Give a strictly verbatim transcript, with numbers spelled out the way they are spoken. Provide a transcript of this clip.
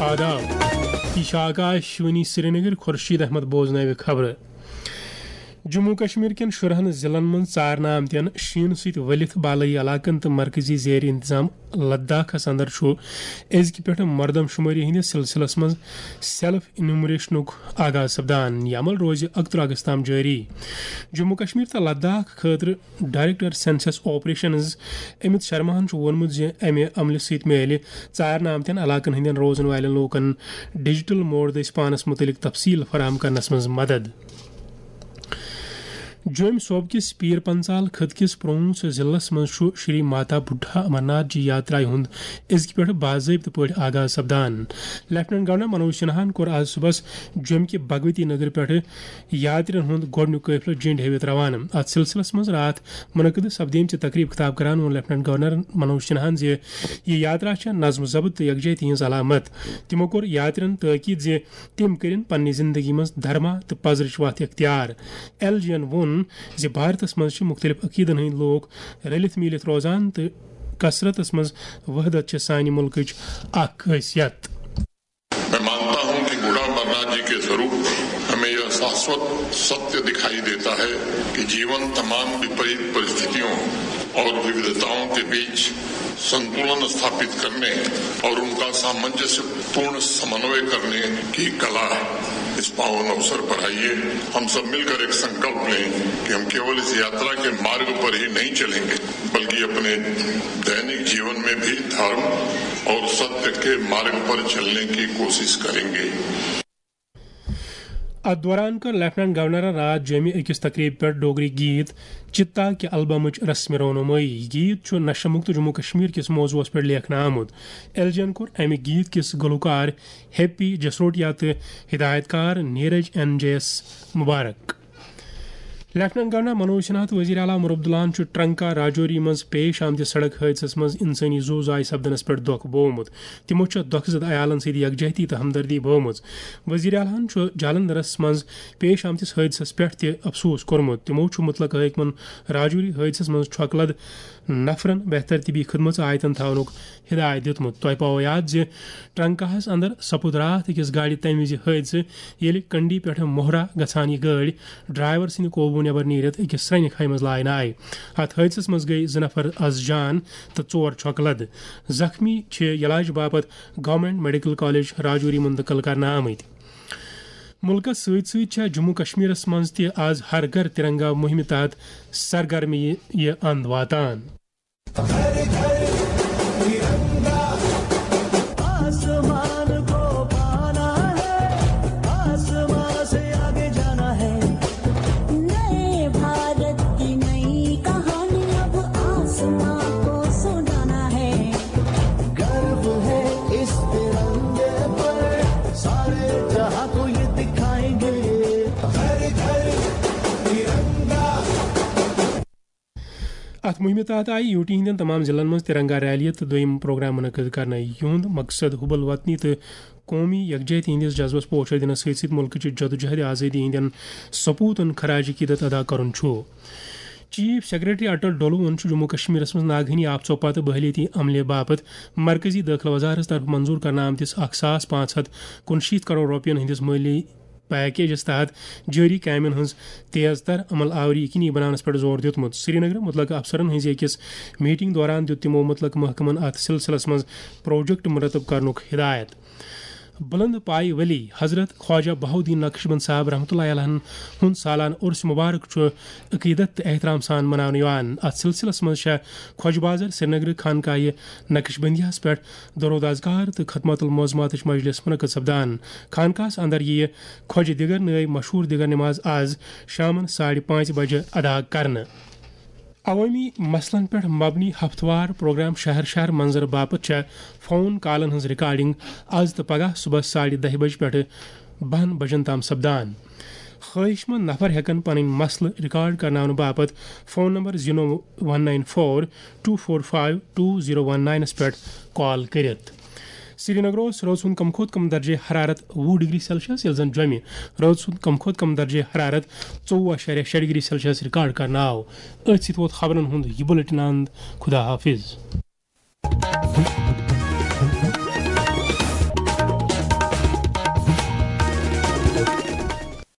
آداب، یہِ چھِ آکاش وانی سرینگر۔ خورشید احمد بوزناوِ خبرٕ۔ جموں کشمیر کٮ۪ن شُرہن ضلعن منٛز ژارنہٕ آمتٮ۪ن شیٖنہٕ سۭتۍ ؤلِتھ بالٲیی علاقن تہٕ مرکزی زیر انتظام لداخس اندر چھُ أزکہِ پٮ۪ٹھٕ مردم شمٲری ہٕنٛدِس سلسلس منٛز سیلف انیومریشنُک آغاز سپدان۔ یہِ عمل روزِ اکترٕہ اگست تام جٲری۔ جموں کشمیر تہٕ لداخ خٲطرٕ ڈائریکٹر سینسس آپریشنز امیت شرماہن چھُ ووٚنمُت زِ امہِ عملہِ سۭتۍ میلہِ ژارنہٕ آمتٮ۪ن علاقن ہٕنٛدٮ۪ن روزن والٮ۪ن لوٗکن ڈیجیٹل موڑ دٔسۍ پانس مُتعلق تفصیل فراہم کرنس منٛز مدد۔ جوٚمۍ صوبہٕ کِس پیٖر پنژال خٕطہٕ کِس پرٛونٛژھ ضلعس منٛز چھُ شری ماتا بُڈھا امرناتھ جی یاترایہِ ہُنٛد أزکہِ پٮ۪ٹھٕ باضٲبطہٕ پٲٹھۍ آغاز سپدان۔ لیفٹیننٹ گورنر منوج سنہاہن کوٚر آز صُبحس جوٚمہِ کہِ بھگوتی نگر پٮ۪ٹھٕ یاترین ہُنٛد گۄڈٕنیُک قٲفلہٕ جینڈ ہٲوِتھ روانہٕ۔ اتھ سلسلس منٛز راتھ منعقد سپدیمژِ تقریب خطاب کران ووٚن لیفٹیننٹ گورنر منوج سنہاہن زِ یہِ یاترا چھےٚ نظم و ضبط تہٕ یکجہتی ہٕنٛز علامت۔ تِمو کوٚر یاترین تٲکید زِ تِم کٔرِن پننہِ زندگی منٛز دھرما تہٕ پزرٕچ وتھ اختیار۔ ایل جی ین ووٚن زِ بھارتس منٛز چھِ مُختٔلِف عقیدن ہٕنٛدۍ لوٗکھ رٔلِتھ میٖلِتھ روزان تہٕ کثرتس منٛز وحدت چھِ سانہِ مُلکٕچ اکھ خٲصیت۔ میں مانتا ہوں کہ بوڑھا امرناتھ جی کے سوروپ ہمیں یہ شاشوت ستیہ دکھائی دیتا ہے کہ جیون تمام وپریت پرستھتیوں اور وودھتاؤں کے بیچ سنتولن استھاپت کرنے اور ان کا سامنجسیہ پورن سمنوے کرنے کی کلا ہے۔ اس پاون اوسر پر آئیے، ہم سب مل کر ایک سنکلپ لیں کہ ہم کیول اس یاترا کے مارگ پر ہی نہیں چلیں گے، بلکہ اپنے دینک جیون میں بھی دھرم اور ستیہ کے مارگ پر چلنے کی کوشش کریں گے۔ اتھ دوران کٔر لیفٹیننٹ گورنرن راتھ جوٚمہِ أکِس تقریبہِ پٮ۪ٹھ ڈوگری گیت چتا کہِ البمٕچ رسم رونمٲیی۔ یہِ گیت چھُ نشہ مکت جموں کشمیر کِس موضوعس پٮ۪ٹھ لیکھنہٕ آمُت۔ ایل جی ین کوٚر امہِ گیت کِس گلوکار ہیپی جسروٹیا تہٕ ہدایت کار نیرج این جے یس مبارک۔ لیفٹیننٹ گورنر منوج سنہا تہٕ وزیر اعلیٰ عمر عبداللہن چھُ ٹرنکا راجوری منٛز پیش آمتِس سڑک حٲدثس منٛز انسٲنی زُو زایہِ سپدنس پٮ۪ٹھ دۄکھ بوومُت۔ تِمو چھےٚ دۄکھٕ زد عیالن سۭتۍ یکجہتی تہٕ ہمدردی بٲومٕژ۔ وزیر اعلیٰ ہن چھُ جالندھرس منٛز پیش آمتِس حٲدثس پٮ۪ٹھ تہِ افسوس کوٚرمُت۔ تِمو چھُ متعلقہٕ حٲکمن راجوری حٲدثس منٛز چھۄکہٕ لد نفرن بہتر طبی خدمژ آیتن تھاونُک ہدایت دیُتمُت۔ تۄہہِ پاوو یاد زِ ٹرنکاہس اندر سپُد راتھ أکِس گاڑِ تمہِ وِزِ حٲدثہٕ، ییٚلہِ کنڈی پٮ۪ٹھٕ موہرا گژھان یہِ گٲڑۍ ڈرائیور سٕنٛدِ قوبوٗ نٮ۪بر نیٖرِتھ أکِس سرٛنہِ کھایہِ منٛز لاینہٕ آیہِ۔ اتھ حٲدثس منٛز گٔیہِ زٕ نفر از جان تہٕ ژور چھۄکہٕ لد۔ زخمی چھِ علاج باپتھ گورنمنٹ میڈیکل کالج راجوری منتقل کرنہٕ آمٕتۍ۔ مُلکَس سۭتۍ سۭتۍ چھےٚ جموں کشمیرَس منٛز تہِ آز ہر گھر ترنگا مُہِمہِ تحت سرگرمی یہِ اند واتان۔ آسمان کو پانا ہے، آسمان سے آگے جانا ہے۔ نئے بھارت کی نئی کہانی اب آسمان کو سنانا ہے۔ گرو ہے اس ترنگے پر، سارے جہاں کو یہ دکھائیں گے۔ ہر گھر ترنگا۔ اتھ مُہِمہِ تحت آیہِ یوٗ ٹی ہٕنٛدٮ۪ن تمام ضلعن منٛز ترنگا ریلی تہٕ دوٚیِم پروگرام منعقد کرنہٕ۔ یِہُنٛد مقصد حب الوطنی تہٕ قومی یکجہتی ہٕنٛدِس جذبس پوچھر دِنس سۭتۍ سۭتۍ مُلکٕچہِ جدوجہد آزٲدی ہٕنٛدٮ۪ن سپوٗتن خراج عقیدت ادا کرُن چھُ۔ چیف سیکرٹری اٹل ڈولوہن چھُ جموں کشمیرس منٛز ناگہٲنی آفژو پتہٕ بحالیتی عملہِ باپتھ مرکزی دٲخلہٕ وزارتس طرفہٕ منظور کرنہٕ آمتِس اکھ ساس پانٛژھ ہتھ کُنشیٖتھ کرور رۄپین ہٕنٛدِس مٲلی پیکیجس تحت جٲری کامٮ۪ن ہٕنٛز تیز تر عمل آوری یقینی بناونس پٮ۪ٹھ زور دیُتمُت۔ سرینگرٕ مُتعلقہٕ افسرن ہٕنٛزِ أکِس میٹنگ دوران دیُت تِمو مُتعلقہٕ محکمن اتھ سلسلس منٛز پروجیکٹ مرتب کرنُک ہدایت۔ بلند پایہِ ولی حضرت خواجہ بہاؤالدین نقشبند صاحب رحمتہ اللہ علیہ ہُنٛد سالانہٕ عرس مبارک چھُ عقیدت تہٕ احترام سان مناونہٕ یِوان۔ اتھ سلسلس منٛز چھےٚ خۄجہِ بازر سرینگرٕ خانقاہہِ نقشبندیہس پٮ۪ٹھ درود اذکار تہٕ ختمات المعظماتٕچ مجلس منعقد سپدان۔ خانقاہس اندر یِیہِ خۄجہِ دِگر نٲوۍ مشہوٗر دِگر نماز از شامن ساڑِ پانٛژِ بجہِ ادا کرنہٕ۔ عوٲمی مسلن پٮ۪ٹھ مبنی ہفتہٕ وار پروگرام شہر شہر منظر باپتھ چھےٚ فون کالن ہٕنٛز ریکارڈنگ از تہٕ پگاہ صبحس ساڑِ دَہہِ بجہِ پٮ۪ٹھٕ بَہَن بجن تام سپدان۔ خٲہِش مند نفر ہٮ۪کن پنٕنۍ مسلہٕ ریکارڈ کرناونہٕ باپتھ phone number zero one nine four two four five two zero one ناینس پٮ۪ٹھ کال کٔرِتھ۔ سرینگر اوس رٲژ ہُنٛد کم کھۄتہٕ کم درجے حرارت وُہ ڈگری سیلسیس، ییٚلہِ زن جوٚمہِ رٲژ ہُنٛد کم کھۄتہٕ کم درجے حرارت ژوٚوُہ اَشاریہ شےٚ ڈگری سیلسیس ریکارڈ کرنہٕ آو۔ أتھۍ سۭتۍ ووت خبرن ہُنٛد یہِ بُلٹن اند۔ خدا حافظ۔